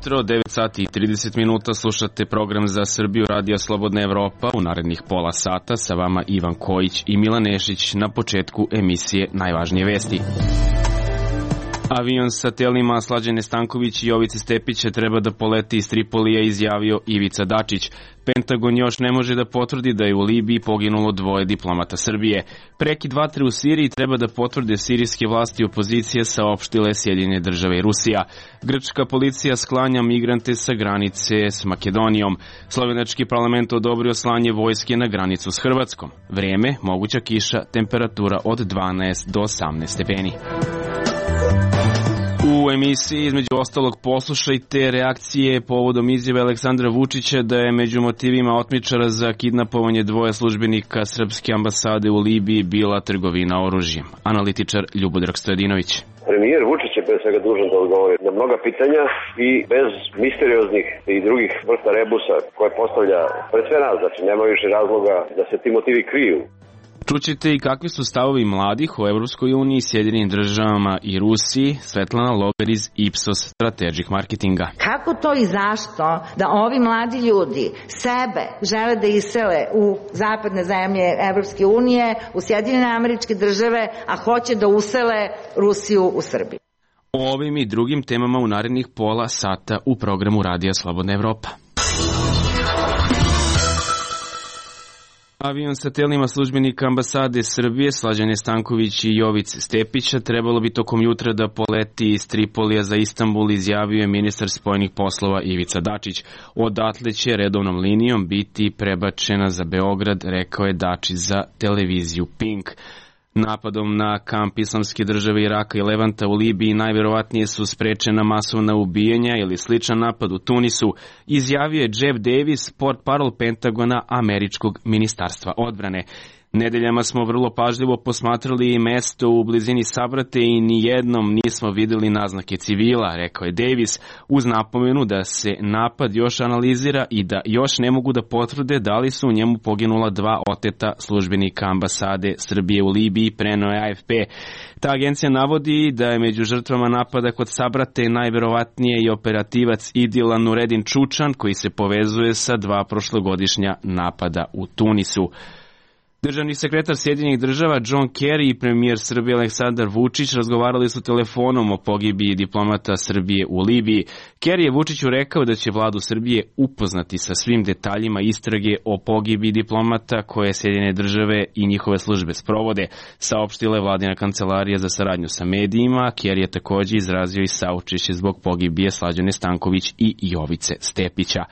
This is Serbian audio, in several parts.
Jutro, 9 sati i 30 minuta, slušate program za Srbiju Radija Slobodna Evropa. U narednih pola sata sa vama Ivan Kojić i Milan Nešić. Na početku emisije najvažnije vesti. Avion sa telima Slađane Stanković i Jovice Stepića treba da poleti iz Tripolija, izjavio Ivica Dačić. Pentagon još ne može da potvrdi da je u Libiji poginulo 2 diplomata Srbije. Prekid vatre u Siriji treba da potvrde sirijske vlasti i opozicije, saopštile Sjedinjene Države i Rusija. Grčka policija sklanja migrante sa granice s Makedonijom. Slovenački parlament odobrio slanje vojske na granicu s Hrvatskom. Vreme, moguća kiša, temperatura od 12 do 18 stepeni. U emisiji između ostalog poslušajte reakcije povodom izjave Aleksandra Vučića da je među motivima otmičara za kidnapovanje 2 službenika srpske ambasade u Libiji bila trgovina oružjem. Analitičar Ljubodrag Stojadinović. Premijer Vučić je pre svega dužan da odgovori na mnoga pitanja i bez misterioznih i drugih vrsta rebusa koje postavlja pred sve nas, znači nema više razloga da se ti motivi kriju. Čućete i kakvi su stavovi mladih o Evropskoj uniji, Sjedinjenim Državama i Rusiji. Svetlana Logar iz Ipsos Strategic Marketinga. Kako to i zašto da ovi mladi ljudi sebe žele da isele u zapadne zemlje Evropske unije, u Sjedinjene Američke Države, a hoće da usele Rusiju u Srbiji? O ovim i drugim temama u narednih pola sata u programu Radija Slobodna Evropa. Avion sa telima službenika ambasade Srbije Slađane Stanković i Jovice Stepića trebalo bi tokom jutra da poleti iz Tripolija za Istanbul, izjavio je ministar spoljnih poslova Ivica Dačić. Odatle će redovnom linijom biti prebačena za Beograd, rekao je Dačić za televiziju Pink. Napadom na kamp Islamske države Iraka i Levanta u Libiji najverovatnije su sprečena masovna ubijanja ili sličan napad u Tunisu, izjavio je Jeff Davis, portparol Pentagona američkog ministarstva odbrane. Nedeljama smo vrlo pažljivo posmatrali mesto u blizini Sabrate i nijednom nismo videli naznake civila, rekao je Davis, uz napomenu da se napad još analizira i da još ne mogu da potvrde da li su u njemu poginula 2 oteta službenika ambasade Srbije u Libiji, preneo je AFP. Ta agencija navodi da je među žrtvama napada kod Sabrate najverovatnije i operativac Idila Nuredin Čučan, koji se povezuje sa 2 prošlogodišnja napada u Tunisu. Državni sekretar Sjedinjenih Država John Kerry i premijer Srbije Aleksandar Vučić razgovarali su telefonom o pogibiji diplomata Srbije u Libiji. Kerry je Vučiću rekao da će vladu Srbije upoznati sa svim detaljima istrage o pogibiji diplomata koje Sjedinjene Države i njihove službe sprovode, saopštila je vladina kancelarija za saradnju sa medijima. Kerry je također izrazio i saučešće zbog pogibije Slađane Stanković i Jovice Stepića.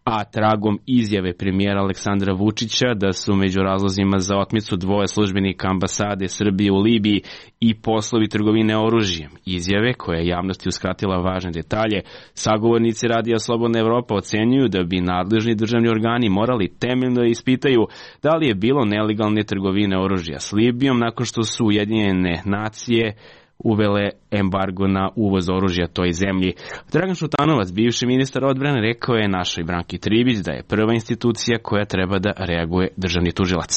A tragom izjave premijera Aleksandra Vučića da su među razlozima za otmicu 2 službenika ambasade Srbije u Libiji i poslovi trgovine oružjem, izjave koja je javnosti uskratila važne detalje, sagovornici Radija Slobodna Evropa ocenjuju da bi nadležni državni organi morali temeljno ispitaju da li je bilo nelegalne trgovine oružja s Libijom nakon što su Ujedinjene nacije uvele embargo na uvoz oružja toj zemlji. Dragan Šutanovac, bivši ministar odbrane, rekao je našoj Branki Tribić da je prva institucija koja treba da reaguje državni tužilac.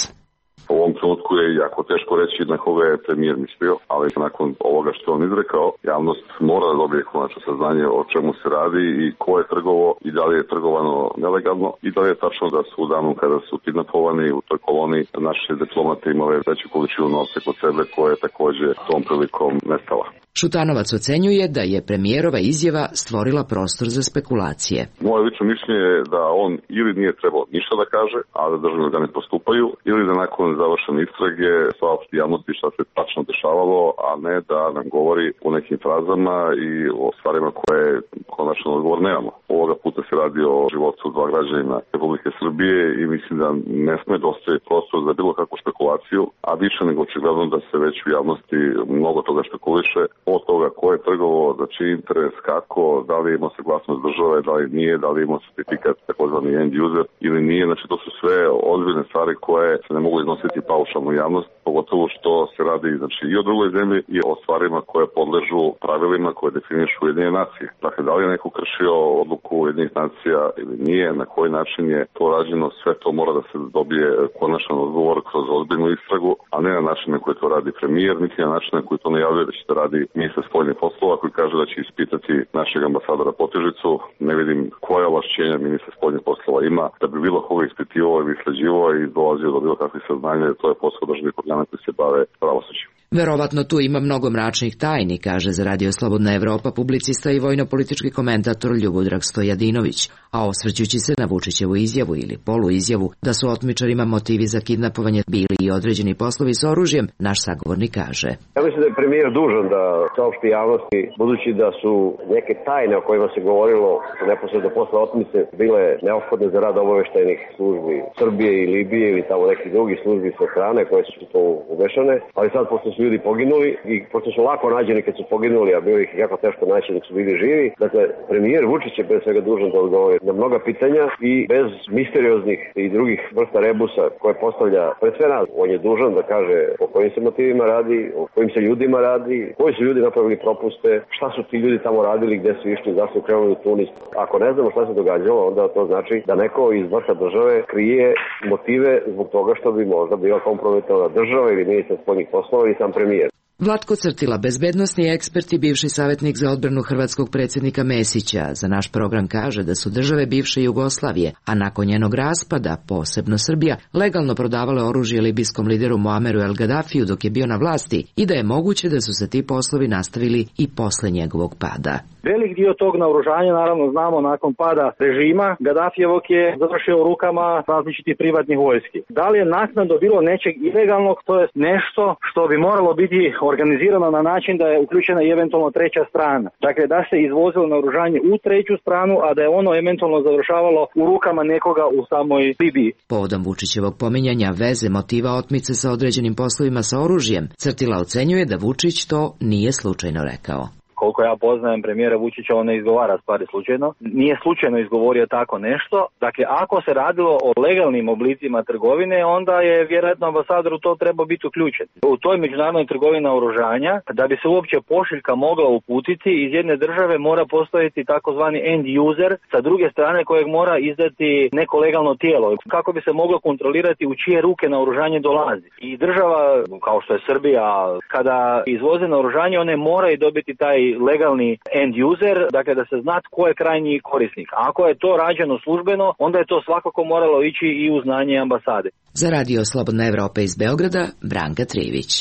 U ovom trenutku je jako teško reći na koga je premijer mislio, ali nakon ovoga što on izrekao, javnost mora da dobije konačno saznanje o čemu se radi i ko je trgovao i da li je trgovano nelegalno i da li je tačno da su u danu kada su kidnapovani u toj koloni naše diplomate imale veću količinu novca kod sebe koja je takođe tom prilikom nestala. Šutanovac ocenjuje da je premijerova izjava stvorila prostor za spekulacije. Moje lično mišljenje je da on ili nije trebao ništa da kaže, a da državni organi postupaju, ili da nakon završene istrage saopšti javnosti šta se tačno dešavalo, a ne da nam govori o nekim frazama i o stvarima koje konačno odgovor nemamo. Ovoga puta se radi o životu 2 građanina Republike Srbije i mislim da ne sme da ostaje prostor za bilo kakvu špekulaciju, a više nego očigledno da se već u javnosti mnogo toga špekuliše, od toga ko je trgovao, za čiji interes, kako, da li imao saglasnost države, da li nije, da li imao certifikat takozvani end user ili nije. Znači to su sve ozbiljne stvari koje se ne mogu iznositi paušalno u javnost pogotovo što se radi znači, i o drugoj zemlji i o stvarima koje podležu pravilima koje definišu Ujedinjene nacije. Dakle, da li je neko kršio odluku Ujedinjenih nacija ili nije, na koji način je to rađeno, sve to mora da se dobije konačan odgovor kroz ozbiljnu istragu, a ne na način na koji to radi premijer, niti na način na koji to najavljuje da će da radi ministar spoljnih poslova koji kaže da će ispitati našeg ambasadora Potežicu. Ne vidim koja ovlašćenja ministar spoljnih poslova ima da bi bilo koga ispitivao ili istraživao i dolazio do bilo kakvih saznanja, to je posao državnih organa koji se bave pravosuđem. Verovatno tu ima mnogo mračnih tajni, kaže za Radio Slobodna Evropa publicista i vojno-politički komentator Ljubodrag Stojadinović, a osvrćući se na Vučićevu izjavu ili poluizjavu da su otmičarima motivi za kidnapovanje bili i određeni poslovi s oružjem, naš sagovornik kaže. Ja mislim da je premijer dužan da saopšti javnosti, budući da su neke tajne o kojima se govorilo neposredno posle otmice bile neophodne za rad obaveštajnih službi Srbije i Libije ili tamo nekih drugih službi sa strane koje su to umešane, ali sad pošto su ljudi poginuli i pošto su lako nađeni kad su poginuli, a bilo ih jako teško naći dok su bili živi. Dakle, premijer Vučić je pre svega dužan da odgovori na mnoga pitanja i bez misterioznih i drugih vrsta rebusa koje postavlja pred sve nas. On je dužan da kaže o kojim se motivima radi, o kojim se ljudima radi, koji su ljudi napravili propuste, šta su ti ljudi tamo radili, gde su išli, zašto su krenuli u Tunis. Ako ne znamo šta se događalo, onda to znači da neko iz vrha države krije motive zbog toga što bi možda bila kompromitovana država ili ministar spoljnih poslova ili sam premijer. Vlatko Crtila, bezbednosni ekspert i bivši savjetnik za odbranu hrvatskog predsjednika Mesića, za naš program kaže da su države bivše Jugoslavije, a nakon njenog raspada, posebno Srbija, legalno prodavale oružje libijskom lideru Muammeru El Gaddafiju dok je bio na vlasti i da je moguće da su se ti poslovi nastavili i posle njegovog pada. Velik dio tog naoružanja, naravno znamo, nakon pada režima Gaddafijevog je završio u rukama različitih privatnih vojski. Da li je naknadno bilo nečeg ilegalnog, to je nešto što bi moralo biti organizirano na način da je uključena i eventualno treća strana. Dakle, da se izvozilo naoružanje u treću stranu, a da je ono eventualno završavalo u rukama nekoga u samoj Libiji. Povodom Vučićevog pominjanja veze motiva otmice sa određenim poslovima sa oružjem, Crtila ocenjuje da Vučić to nije slučajno rekao. Koliko ja poznajem premijera Vučića, on ne izgovara stvari slučajno. Nije slučajno izgovorio tako nešto. Dakle, ako se radilo o legalnim oblicima trgovine, onda je vjerojatno ambasador u to trebao biti uključen. U toj međunarodnoj trgovini naoružanja, da bi se uopće pošiljka mogla uputiti, iz jedne države mora postojati takozvani end user, sa druge strane kojeg mora izdati neko legalno tijelo, kako bi se moglo kontrolirati u čije ruke naoružanje dolazi. I država, kao što je Srbija, kada izvoze naoružanje, one moraju dobiti taj legalni end user, dakle da se zna tko je krajnji korisnik. Ako je to rađeno službeno, onda je to svakako moralo ići i u znanje ambasade. Za Radio Slobodna Evropa iz Beograda, Branka Trivić.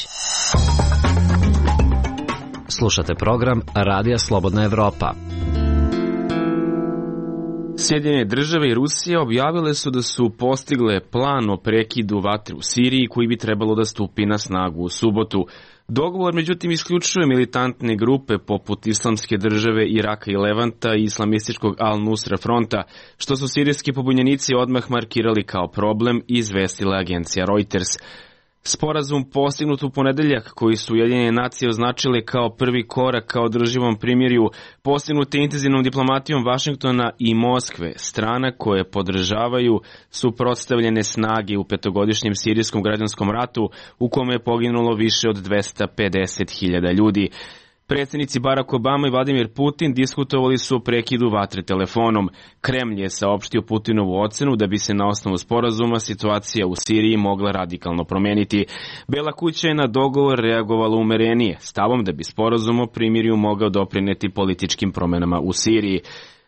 Slušate program Radija Slobodna Evropa. Sjedinjene države i Rusija objavile su da su postigle plan o prekidu vatre u Siriji koji bi trebalo da stupi na snagu u subotu. Dogovor, međutim, isključuje militantne grupe poput Islamske države, Iraka i Levanta i islamističkog Al-Nusra fronta, što su sirijski pobunjenici odmah markirali kao problem i izvestila agencija Reuters. Sporazum postignut u ponedeljak, koji su Ujedinjene nacije označile kao prvi korak ka održivom primirju, postignut je intenzivnom diplomatijom Vašingtona i Moskve, strana koje podržavaju suprotstavljene snage u petogodišnjem sirijskom građanskom ratu u kome je poginulo više od 250.000 ljudi. Predsjednici Barack Obama i Vladimir Putin diskutovali su o prekidu vatre telefonom. Kremlj je saopštio Putinovu ocenu da bi se na osnovu sporazuma situacija u Siriji mogla radikalno promeniti. Bela kuća je na dogovor reagovala umerenije, stavom da bi sporazum o primirju mogao doprineti političkim promenama u Siriji.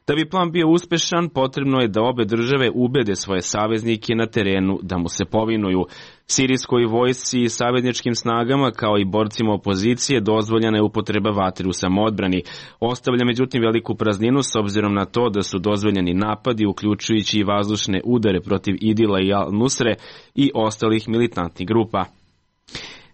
Da bi plan bio uspešan, potrebno je da obe države ubede svoje saveznike na terenu da mu se povinuju. Sirijskoj vojsci i savezničkim snagama, kao i borcima opozicije, dozvoljena je upotreba vatre u samoodbrani. Ostavlja međutim veliku prazninu s obzirom na to da su dozvoljeni napadi, uključujući i vazdušne udare protiv Idila i Al-Nusre i ostalih militantnih grupa.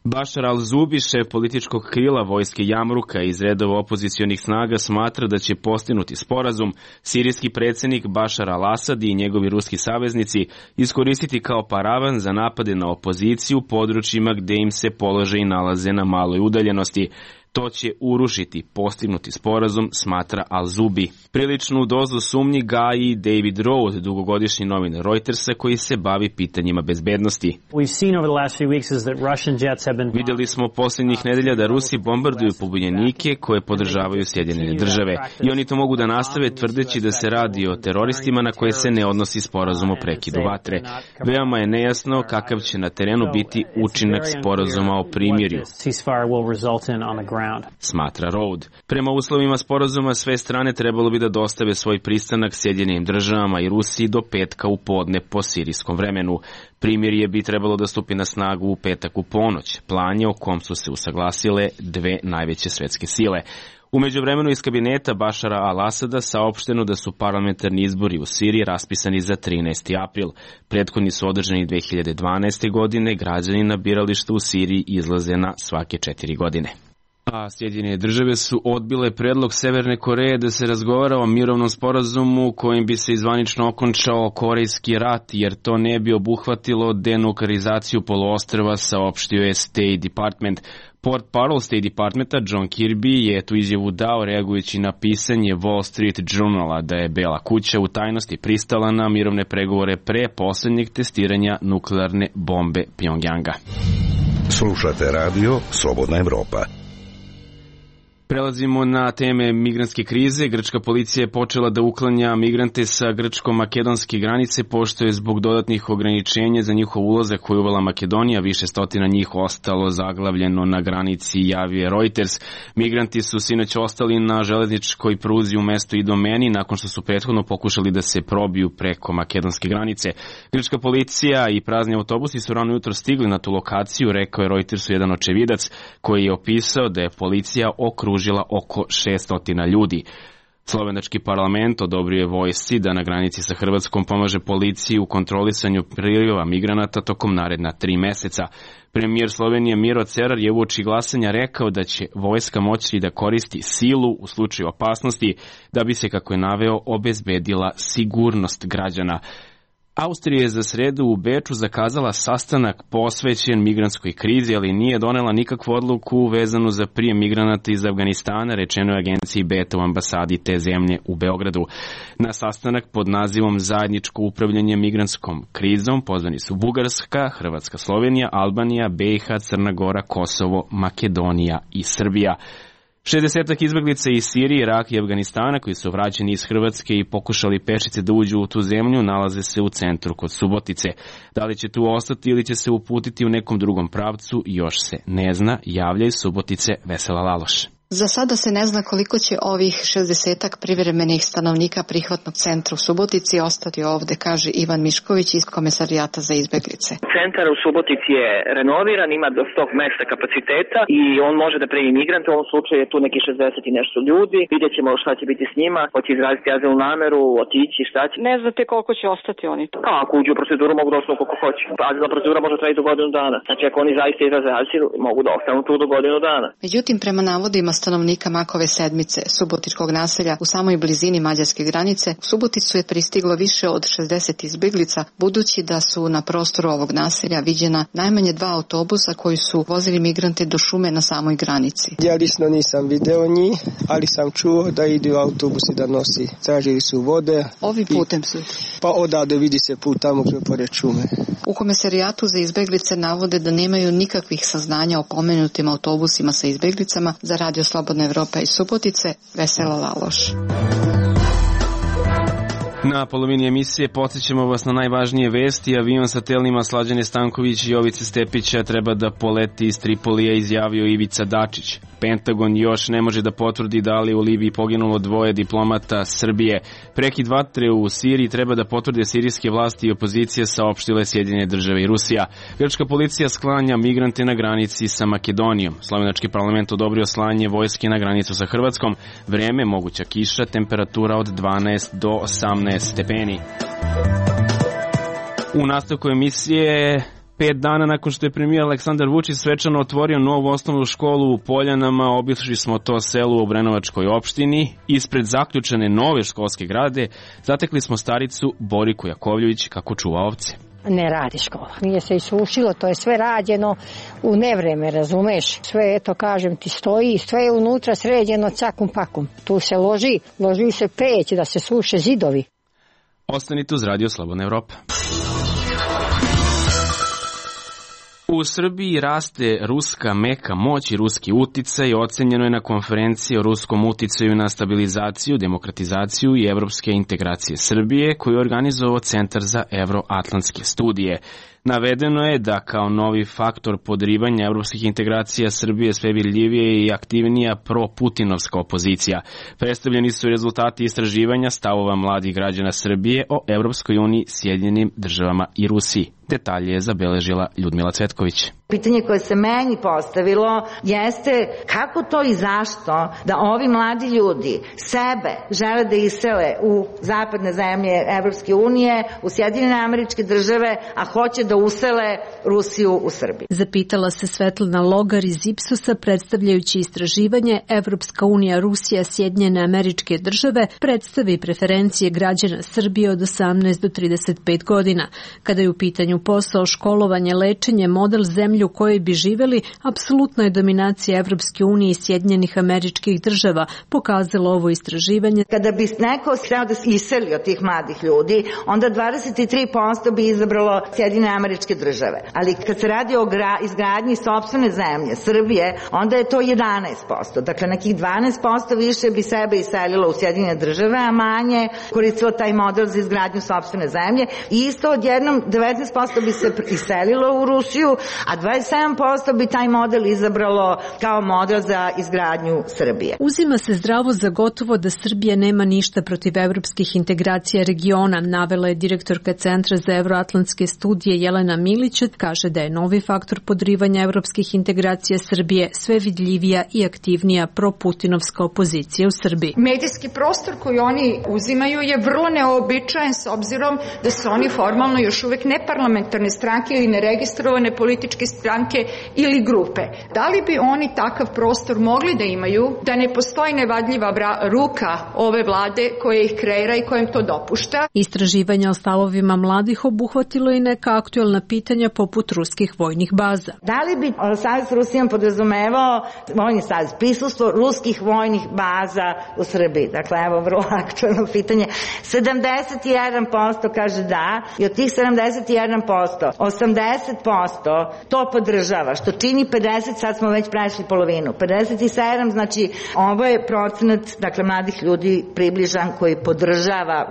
Bašar al-Zubi, šef političkog krila vojske Jamruka iz redova opozicionih snaga, smatra da će postignuti sporazum sirijski predsjednik Bašar al-Asad i njegovi ruski saveznici iskoristiti kao paravan za napade na opoziciju u područjima gde im se položaji nalaze na maloj udaljenosti. To će urušiti postignuti sporazum, smatra Al-Zubi. Priličnu dozu sumnji gaji David Road, dugogodišnji novinar Reutersa koji se bavi pitanjima bezbednosti. Vidjeli smo posljednjih nedelja da Rusi bombarduju pobunjenike koje podržavaju Sjedinjene države i oni to mogu da nastave tvrdeći da se radi o teroristima na koje se ne odnosi sporazum o prekidu vatre. Veoma je nejasno kakav će na terenu biti učinak sporazuma o primirju, smatra Road. Prema uslovima sporazuma sve strane trebalo bi da dostave svoj pristanak Sjedinjenim državama i Rusiji do petka u podne po sirijskom vremenu. Primirje bi trebalo da stupi na snagu u petak u ponoć. Plan je o kom su se usaglasile dve najveće svetske sile. U međuvremenu iz kabineta Bašara al-Asada saopšteno da su parlamentarni izbori u Siriji raspisani za 13. april. Prethodni su održani 2012. godine, građani na birališta u Siriji izlaze na svake 4 godine. A Sjedinjene države su odbile predlog Severne Koreje da se razgovara o mirovnom sporazumu kojim bi se izvanično okončao Korejski rat, jer to ne bi obuhvatilo denuklearizaciju poluostrva, saopštio je State Department. Portparol State Departmenta John Kirby je tu izjavu dao reagujući na pisanje Wall Street Journala da je Bela kuća u tajnosti pristala na mirovne pregovore pre poslednjeg testiranja nuklearne bombe Pjongjanga. Slušate radio Slobodna Evropa. Prelazimo na teme migrantske krize. Grčka policija je počela da uklanja migrante sa grčko-makedonske granice, pošto je zbog dodatnih ograničenja za njihov ulazak koju uvela Makedonija, više stotina njih ostalo zaglavljeno na granici, javio je Reuters. Migranti su sinoć ostali na železničkoj pruzi u mestu Idomeni nakon što su prethodno pokušali da se probiju preko makedonske granice. Grčka policija i prazni autobusi su rano jutro stigli na tu lokaciju, rekao je Reutersu jedan očevidac koji je opisao da je policija okružila oko 600 ljudi. Slovenački parlament odobrio je vojsci da na granici sa Hrvatskom pomaže policiji u kontrolisanju priliva migranata tokom naredna 3 meseca. Premijer Slovenije Miro Cerar je uoči glasanja rekao da će vojska moći da koristi silu u slučaju opasnosti da bi se, kako je naveo, obezbedila sigurnost građana. Austrija je za sredu u Beču zakazala sastanak posvećen migrantskoj krizi, ali nije donela nikakvu odluku vezanu za prijem migranata iz Afganistana, rečeno je agenciji Beta u ambasadi te zemlje u Beogradu. Na sastanak pod nazivom Zajedničko upravljanje migrantskom krizom pozvani su Bugarska, Hrvatska, Slovenija, Albanija, BiH, Crna Gora, Kosovo, Makedonija i Srbija. 60 izbeglica iz Sirije, Iraka i Afganistana koji su vraćeni iz Hrvatske i pokušali pešice da uđu u tu zemlju nalaze se u centru kod Subotice. Da li će tu ostati ili će se uputiti u nekom drugom pravcu još se ne zna, javlja iz Subotice Vesela Laloš. Za sada se ne zna koliko će ovih 60-ak privremenih stanovnika prihvatnog centra u Subotici ostati ovde, kaže Ivan Mišković iz Komesarijata za izbeglice. Centar u Subotici je renoviran, ima do 100 mesta kapaciteta i on može da primi migrante, u ovom slučaju je tu neki 60 i nešto ljudi. Vidjet ćemo šta će biti s njima, hoće izraziti azilnu nameru, otići, šta će. Ne znate koliko će ostati oni to? Ako uđu u proceduru mogu da ostanu koliko hoće. Azilna procedura može trajati do godinu dana. Znači ako oni zaista izraze azil, mogu da ostanu tu do godinu dana. Međutim, prema navodima stanovnika Makove sedmice, subotičkog naselja u samoj blizini mađarske granice, u Suboticu je pristiglo više od 60 izbeglica, budući da su na prostoru ovog naselja viđena najmanje 2 autobusa koji su vozili migrante do šume na samoj granici. Ja lično nisam video njih, ali sam čuo da idu autobusi da nosi. Tražili su vode. Ovim putem su? Pa odavde vidi se put tamo gdje pored šume. U Komesarijatu za izbeglice navode da nemaju nikakvih saznanja o pomenutim autobusima sa izbeglicama. Za Radio Slobodna Evropa iz Subotice, Vesela Laloš. Na polovini emisije podsjećamo vas na najvažnije vesti. Avion sa telima Slađane Stanković i Jovice Stepića treba da poleti iz Tripolija, izjavio Ivica Dačić. Pentagon još ne može da potvrdi da li u Libiji poginulo 2 diplomata Srbije. Prekid vatre u Siriji treba da potvrde sirijske vlasti i opozicija, saopštile Sjedinjene države i Rusija. Grčka policija sklanja migrante na granici sa Makedonijom. Slovenački parlament odobrio slanje vojske na granicu sa Hrvatskom. Vreme, moguća kiša, temperatura od 12 do 18 stepeni. U nastavku emisije, 5 dana nakon što je premijer Aleksandar Vučić svečano otvorio novu osnovnu školu u Poljanama, obišli smo to selo u Obrenovačkoj opštini. Ispred zaključene nove školske grade zatekli smo staricu Boriku Jakovljević kako čuva ovce. ne radi škola. Nije se isušilo, to je sve rađeno u nevreme, razumeš? Sve, eto, kažem ti, stoji, sve je unutra sređeno cakum pakum. Tu se loži se peć da se suše zidovi. Ostanite uz Radio Slobodna Evropa. U Srbiji raste ruska meka moć i ruski uticaj, ocenjeno je na konferenciji o ruskom uticaju na stabilizaciju, demokratizaciju i evropske integracije Srbije, koju je organizovao Centar za evroatlantske studije. Navedeno je da kao novi faktor podrivanja evropskih integracija Srbije sve vidljivije i aktivnija pro-putinovska opozicija. Predstavljeni su rezultati istraživanja stavova mladih građana Srbije o Evropskoj uniji, Sjedinjenim državama i Rusiji. Detalje je zabeležila Ljudmila Cvetković. Pitanje koje se meni postavilo jeste kako to i zašto da ovi mladi ljudi sebe žele da isele u zapadne zemlje Evropske unije, u Sjedinjene Američke Države, a hoće da usele Rusiju u Srbiji. Zapitala se Svetlana Logar iz Ipsosa, predstavljajući istraživanje Evropska unija, Rusija, Sjedinjene Američke Države, predstavi preferencije građana Srbije od 18 do 35 godina. Kada je u pitanju posao, školovanje, lečenje, model zemlje u kojoj bi živeli, apsolutno je dominacija Evropske unije i Sjedinjenih Američkih Država, pokazalo ovo istraživanje. Kada bi neko hteo da se iseli od tih mladih ljudi, onda 23% bi izabralo Sjedinjene Američke Države. Ali kad se radi o izgradnji sopstvene zemlje, Srbije, onda je to 11%. Dakle, nekih 12% više bi sebe iselilo u Sjedinjene Države, a manje koristilo taj model za izgradnju sopstvene zemlje. I isto odjednom 19% bi se iselilo u Rusiju, a 27% bi taj model izabralo kao model za izgradnju Srbije. Uzima se zdravo za gotovo da Srbija nema ništa protiv evropskih integracija regiona, navela je direktorka Centra za evroatlantske studije Jelena Milić. Kaže da je novi faktor podrivanja evropskih integracija Srbije sve vidljivija i aktivnija pro-putinovska opozicija u Srbiji. Medijski prostor koji oni uzimaju je vrlo neobičajen s obzirom da su oni formalno još uvek neparlamentarne stranke ili neregistrovane političke stranke ili grupe. Da li bi oni takav prostor mogli da imaju, da ne postoji nevadljiva ruka ove vlade koja ih kreira i koja im to dopušta? Istraživanja o stavovima mladih obuhvatilo i neka aktuelna pitanja poput ruskih vojnih baza. Da li bi Savez s Rusijom podrazumevao vojni savez, prisustvo ruskih vojnih baza u Srbiji? Dakle, evo vrlo aktuelno pitanje. 71% kaže da i od tih 71%, 80% to podržava, što čini 50, sad smo već prešli polovinu. 57, znači ovo je procenat, dakle, mladih ljudi približan koji podržava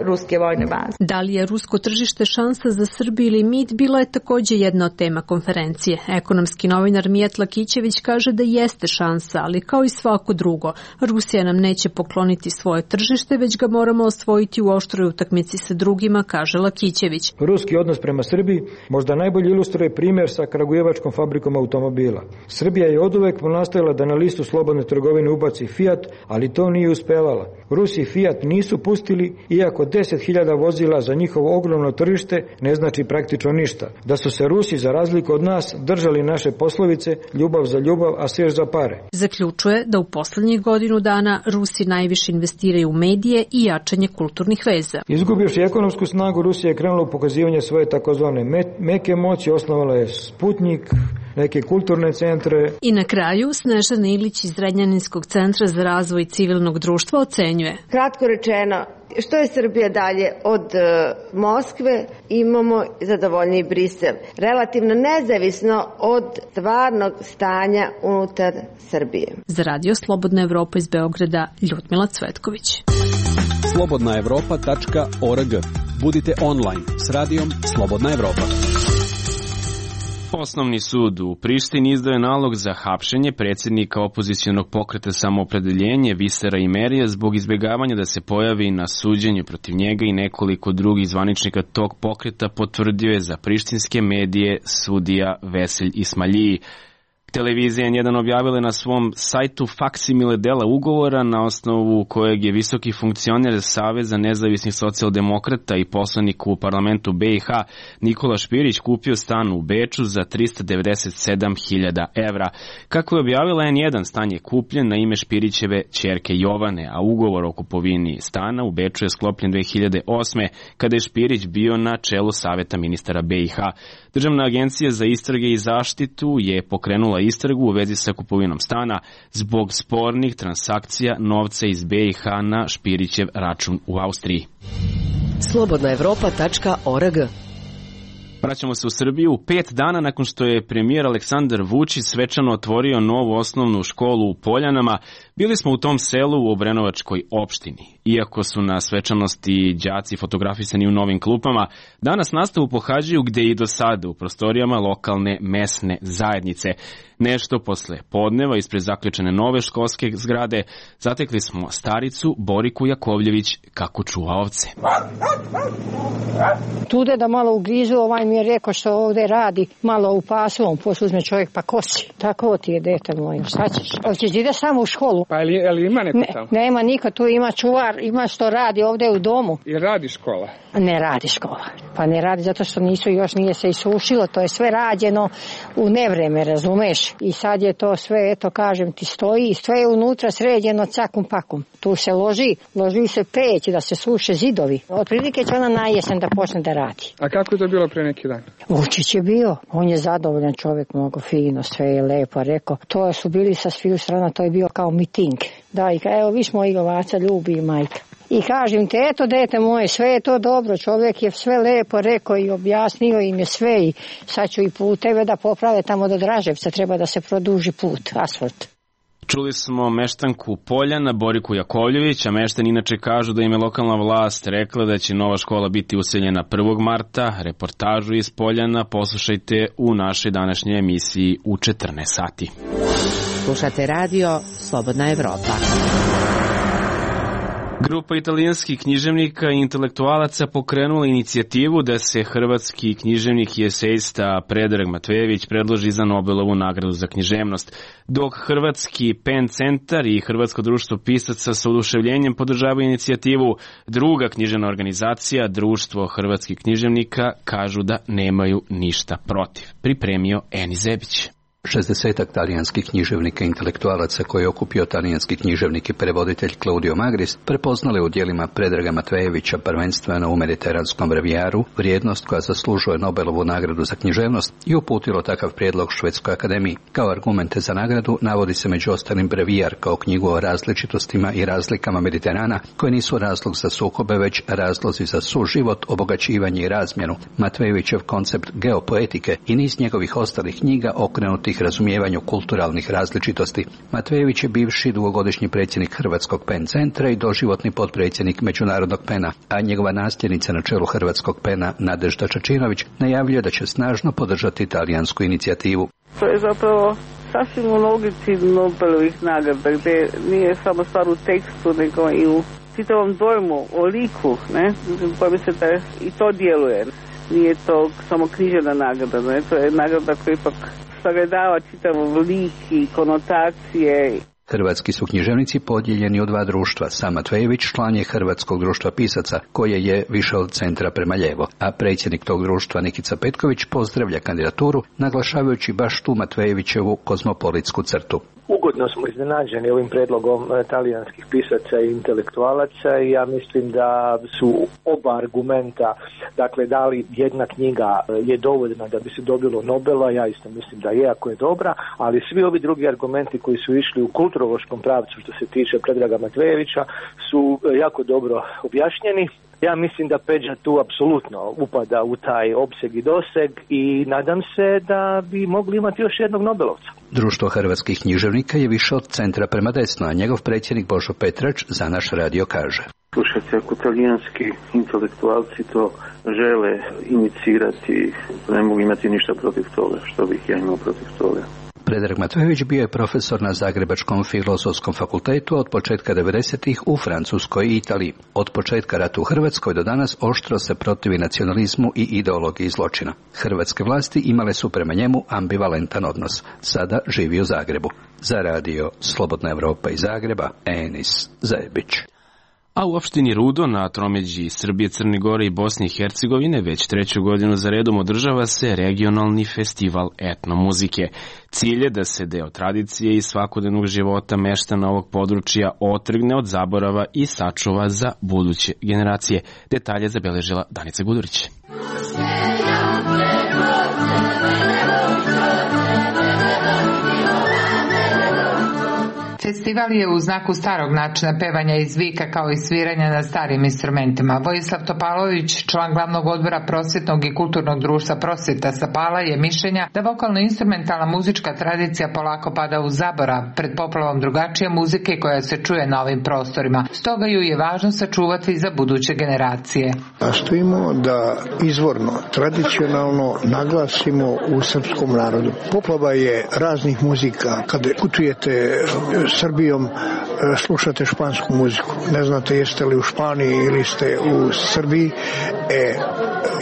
ruske vojne baze. Da li je rusko tržište šansa za Srbiju ili mit, bila je takođe jedna od tema konferencije. Ekonomski novinar Mijat Lakićević kaže da jeste šansa, ali kao i svako drugo, Rusija nam neće pokloniti svoje tržište, već ga moramo osvojiti u oštroj utakmici sa drugima, kaže Lakićević. Ruski odnos prema Srbiji možda najbolje ilustruje primjer sa Kragujevačkom fabrikom automobila. Srbija je oduvek nastojala da na listu slobodne trgovine ubaci Fiat, ali to nije uspevala. Rusi Fiat nisu pustili, iako 10.000 vozila za njihovo ogromno tržište ne znači praktično ništa. Da su se Rusi, za razliku od nas, držali naše poslovice ljubav za ljubav, a seš za pare. Zaključuje da u poslednjih godinu dana Rusi najviše investiraju u medije i jačanje kulturnih veza. Izgubivši ekonomsku snagu, Rusija je krenula u pokazivanje svoje takozvane meke moći, osnovala je Sputnik, neke kulturne centre. I na kraju Snežana Ilić iz Zrenjaninskog centra za razvoj civilnog društva ocenjuje. Kratko rečeno, što je Srbija dalje od Moskve, imamo zadovoljniji Brisel. Relativno nezavisno od stvarnog stanja unutar Srbije. Za Radio Slobodna Evropa iz Beograda, Ljudmila Cvetković. slobodnaevropa.org. Budite online s radijom Slobodna Evropa. Osnovni sud u Prištini izdao je nalog za hapšenje predsjednika opozicionog pokreta Samoopredeljenje Visera Imerija zbog izbjegavanja da se pojavi na suđenju protiv njega i nekoliko drugih zvaničnika tog pokreta, potvrdio je za prištinske medije sudija Veselj Ismaljiji. Televizija N1 objavila na svom sajtu faksimile dela ugovora na osnovu kojeg je visoki funkcioner Saveza nezavisnih socijaldemokrata i poslanik u parlamentu BiH Nikola Špirić kupio stan u Beču za 397.000 evra. Kako je objavila N1, stan je kupljen na ime Špirićeve ćerke Jovane, a ugovor o kupovini stana u Beču je sklopljen 2008. kada je Špirić bio na čelu Saveta ministara BiH. Državna agencija za istrage i zaštitu je pokrenula istragu u vezi sa kupovinom stana zbog spornih transakcija novca iz BiH na Špirićev račun u Austriji. Slobodnaevropa.org. Vraćamo se u Srbiju 5 dana nakon što je premijer Aleksandar Vučić svečano otvorio novu osnovnu školu u Poljanama. Bili smo u tom selu u Obrenovačkoj opštini. Iako su na svečanosti đaci fotografisani u novim klupama, danas nastavu pohađaju gde i do sada u prostorijama lokalne mesne zajednice. Nešto posle podneva ispred zaključene nove školske zgrade zatekli smo staricu Boriku Jakovljević kako čuva ovce. Tude da malo ugrizu, ovaj mi je rekao što ovde radi, malo u pasovom, posle uzme čovjek pa kosi. Tako ti je, dete moje, šta ćeš? Hoćeš ide samo u školu? Pa ali ima neko tamo? Nema niko, tu ima čuvar, ima što radi ovde u domu. I radi škola? Ne radi škola. Pa ne radi zato što još nije se isušilo, to je sve rađeno u nevreme, razumeš? I sad je to sve, eto kažem ti, stoji, sve je unutra sređeno cakum pakum. Tu se loži se peć da se suše zidovi. Otprilike će ona na jesen da počne da radi. A kako je to bilo pre neki dan? Vučić je bio, on je zadovoljan čovjek, mnogo fino, sve je lepo rekao. To su bili sa sviju strana, to je bio kao miting. Da, i evo viš mojeg ovaca ljubi i majka. I kažem te, eto dete moje, sve je to dobro, čovjek je sve lepo rekao i objasnio im je sve i sad ću i puteve da poprave tamo do Draževca, treba da se produži put, asfalt. Čuli smo meštanku Poljana Boriku Jakovljević, a meštani inače kažu da im je lokalna vlast rekla da će nova škola biti useljena 1. marta. Reportažu iz Poljana poslušajte u našoj današnjoj emisiji u 14 sati. Slušate radio Slobodna Evropa. Grupa italijanskih književnika i intelektualaca pokrenula inicijativu da se hrvatski književnik i esejista Predrag Matvejević predloži za Nobelovu nagradu za književnost, dok Hrvatski PEN centar i Hrvatsko društvo pisaca sa oduševljenjem podržavaju inicijativu. Druga književna organizacija, Društvo hrvatskih književnika, kažu da nemaju ništa protiv. Pripremio Eni Zebić. 60-ak talijanskih književnika i intelektualaca koji je okupio talijanski književnik i prevoditelj Claudio Magris prepoznali u djelima Predraga Matvejevića prvenstveno u mediteranskom brevijaru vrijednost koja zaslužuje Nobelovu nagradu za književnost i uputilo takav prijedlog Švedskoj akademiji. Kao argumente za nagradu navodi se među ostalim brevijar kao knjigu o različitostima i razlikama Mediterana koje nisu razlog za sukobe već razlozi za suživot, obogaćivanje i razmjenu, Matvejevićev koncept geopoetike i niz njegovih ostalih knjiga okrenuti razumijevanju kulturalnih različitosti. Matvejević je bivši dugogodišnji predsjednik Hrvatskog PEN centra i doživotni potpredsjednik Međunarodnog PEN-a, a njegova nasljednica na čelu Hrvatskog PEN-a Nadežda Čačinović najavljuje da će snažno podržati talijansku inicijativu. To je zapravo sasvim u logici Nobelovih nagrada, gdje nije samo stvar u tekstu, nego i u čitavom dojmu, o liku, ne, koji se da i to djeluje. Nije to samo književna nagrada, ne, to je nagrada koja ipak sagledava čitav lik i konotacije. Hrvatski su književnici podijeljeni u dva društva. Sam Matvejević član je Hrvatskog društva pisaca, koje je više od centra prema lijevo, a predsjednik tog društva Nikica Petković pozdravlja kandidaturu, naglašavajući baš tu Matvejevićevu kozmopolitsku crtu. Ugodno smo iznenađeni ovim predlogom talijanskih pisaca i intelektualaca i ja mislim da su oba argumenta, dakle da li jedna knjiga je dovoljna da bi se dobilo Nobela, ja isto mislim da je, ako je dobra, ali svi ovi drugi argumenti koji su išli u kulturološkom pravcu što se tiče Predraga Matvejevića su jako dobro objašnjeni. Ja mislim da Peđa tu apsolutno upada u taj opseg i doseg i nadam se da bi mogli imati još jednog Nobelovca. Društvo hrvatskih književnika je više od centra prema desno, a njegov predsjednik Božo Petrač za naš radio kaže. Slušajte, ako talijanski intelektualci to žele inicirati, ne mogu imati ništa protiv toga, što bih ja imao protiv toga. Predrag Matvejević bio je profesor na Zagrebačkom filozofskom fakultetu od početka 90-ih u Francuskoj i Italiji. Od početka rata u Hrvatskoj do danas oštro se protivi nacionalizmu i ideologiji zločina. Hrvatske vlasti imale su prema njemu ambivalentan odnos. Sada živi u Zagrebu. Za radio Slobodna Evropa iz Zagreba, Enis Zajebić. A u opštini Rudo na tromeđi Srbije, Crne Gore i Bosne i Hercegovine već 3. godinu za redom održava se regionalni festival etnomuzike. Cilj je da se deo tradicije i svakodnevnog života meštana ovog područja otrgne od zaborava i sačuva za buduće generacije. Detalje zabeležila Danica Gudurić. Festival je u znaku starog načina pevanja iz vika kao i sviranja na starim instrumentima. Vojislav Topalović, član glavnog odbora prosvjetnog i kulturnog društva Prosvjeta Sapala, je mišljenja da vokalno-instrumentalna muzička tradicija polako pada u zaborav pred poplavom drugačije muzike koja se čuje na ovim prostorima. Stoga ju je važno sačuvati za buduće generacije. Nastojimo da izvorno, tradicionalno naglasimo u srpskom narodu. Poplava je raznih muzika. Kada putujete Srbijom, slušate špansku muziku. Ne znate jeste li u Španiji ili ste u Srbiji.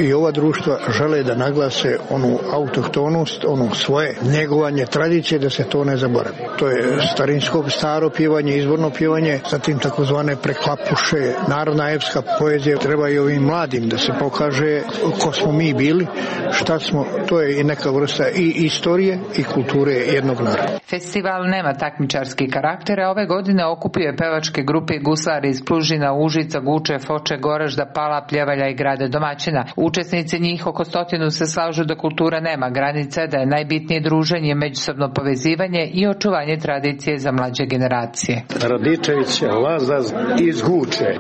I ova društva žele da naglase onu autohtonost, ono svoje njegovanje tradicije, da se to ne zaboravi. To je starinsko staro pjevanje, izvorno pjevanje, zatim takozvane preklapuše, narodna epska poezija. Treba i ovim mladim da se pokaže ko smo mi bili, šta smo. To je i neka vrsta i istorije i kulture jednog naroda. Festival nema takmičarski karakter, a ove godine okupio je pevačke grupe i guslari iz Plužina, Užica, Guče, Foče, Goražda, Pala, Pljevalja i grada domaćina. Učesnici njih oko 100 se slažu da kultura nema granice, da je najbitnije druženje, međusobno povezivanje i očuvanje tradicije za mlađe generacije. Radičević, Lazar iz Guče.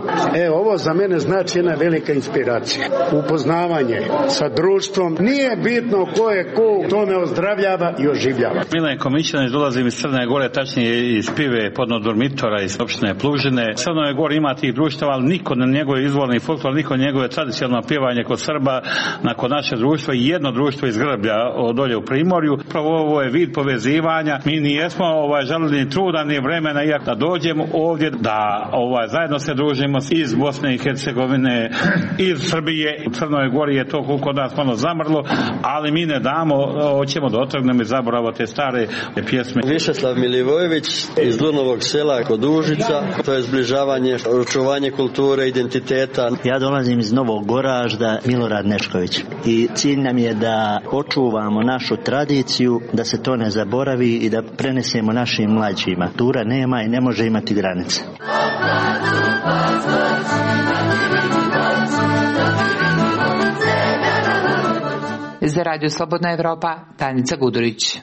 Ovo za mene znači jedna velika inspiracija. Upoznavanje sa društvom. Nije bitno ko je ko, to me ozdravljava i oživljava. Milenko Mićanić, dolazim iz Crne Gore, tačnije iz Pive, Podnodormitora, iz opštine Plužine. Crnoj Gori ima tih društava, ali niko na njegove izvorni folklor, niko na njegove tradicionalno pjevanje kod Srba, nakon naše društvo i jedno društvo iz Grblja dolje u Primorju. Pravo ovo je vid povezivanja. Mi nijesmo žalili ni truda ni vremena iako da dođemo ovdje da zajedno se družimo iz Bosne i Hercegovine, iz Srbije. U Crnoj Gori je to kod nas malo zamrlo, ali mi ne damo, hoćemo da otrgnemo iz zaborava te stare pjesme. Višeslav Milivojević iz Dunovog sela kod Užica, to je zbližavanje, očuvanje kulture, identiteta. Ja dolazim iz Novog Goražda, Milorad Nešković, i cilj nam je da očuvamo našu tradiciju, da se to ne zaboravi i da prenesemo našim mlađima. Kultura nema i ne može imati granice. Za Radio Slobodna Evropa, Danica Gudurić.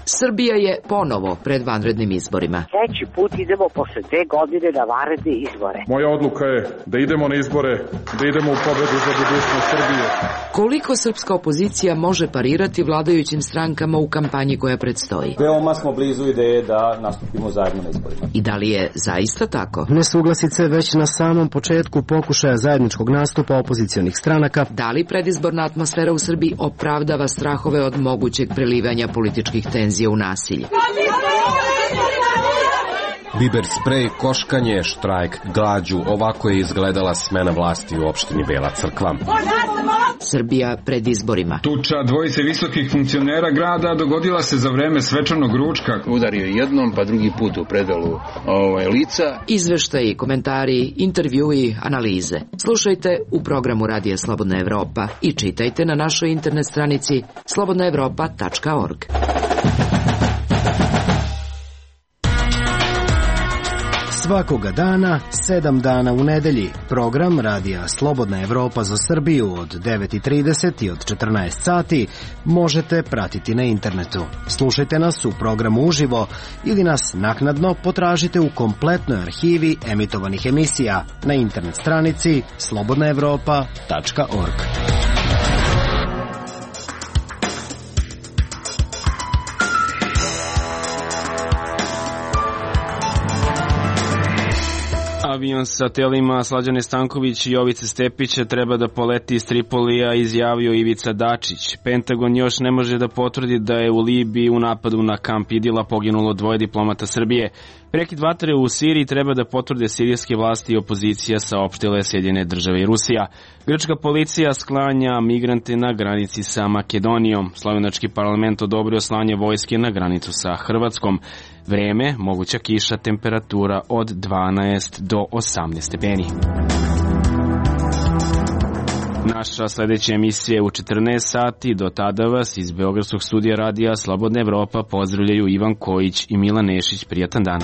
Srbija je ponovo pred vanrednim izborima. Treći put idemo posle 2 godine na vanredne izbore. Moja odluka je da idemo na izbore, da idemo u pobedu za budućnost Srbije. Koliko srpska opozicija može parirati vladajućim strankama u kampanji koja predstoji? Veoma smo blizu ideje da nastupimo zajedno na izborima. I da li je zaista tako? Nesuglasice već na samom početku pokušaja zajedničkog nastupa opozicionih stranaka. Da li predizborna atmosfera u Srbiji opravdava strahove od mogućeg prelivanja političkih tenzija u nasilje? Biber sprej, koškanje, štrajk, glađu, ovako je izgledala smena vlasti u opštini Bela Crkva. Srbija pred izborima. Tuča dvojice visokih funkcionera grada dogodila se za vreme svečanog ručka. Udario jednom, pa drugi put u predelu lica. Izveštaji, komentari, intervjui, analize. Slušajte u programu Radija Slobodna Evropa i čitajte na našoj internet stranici slobodnaevropa.org. Svakoga dana, 7 dana u nedelji, program Radija Slobodna Evropa za Srbiju od 9:30 i od 14 sati možete pratiti na internetu. Slušajte nas u programu uživo ili nas naknadno potražite u kompletnoj arhivi emitovanih emisija na internet stranici slobodnaevropa.org. Avion sa telima Slađane Stanković i Jovice Stepića treba da poleti iz Tripolija, izjavio Ivica Dačić. Pentagon još ne može da potvrdi da je u Libiji u napadu na kamp Idila poginulo 2 diplomata Srbije. Prekid vatre u Siriji treba da potvrde sirijske vlasti i opozicija, saopštile Sjedinjene Države i Rusija. Grčka policija sklanja migrante na granici sa Makedonijom. Slovenački parlament odobrio slanje vojske na granicu sa Hrvatskom. Vreme, moguća kiša, temperatura od 12 do 18 stepeni. Naša sledeća emisija je u 14 sati. Do tada vas iz Beogradskog studija radija Slobodna Evropa pozdravljaju Ivan Kojić i Milan Nešić. Prijatan dan.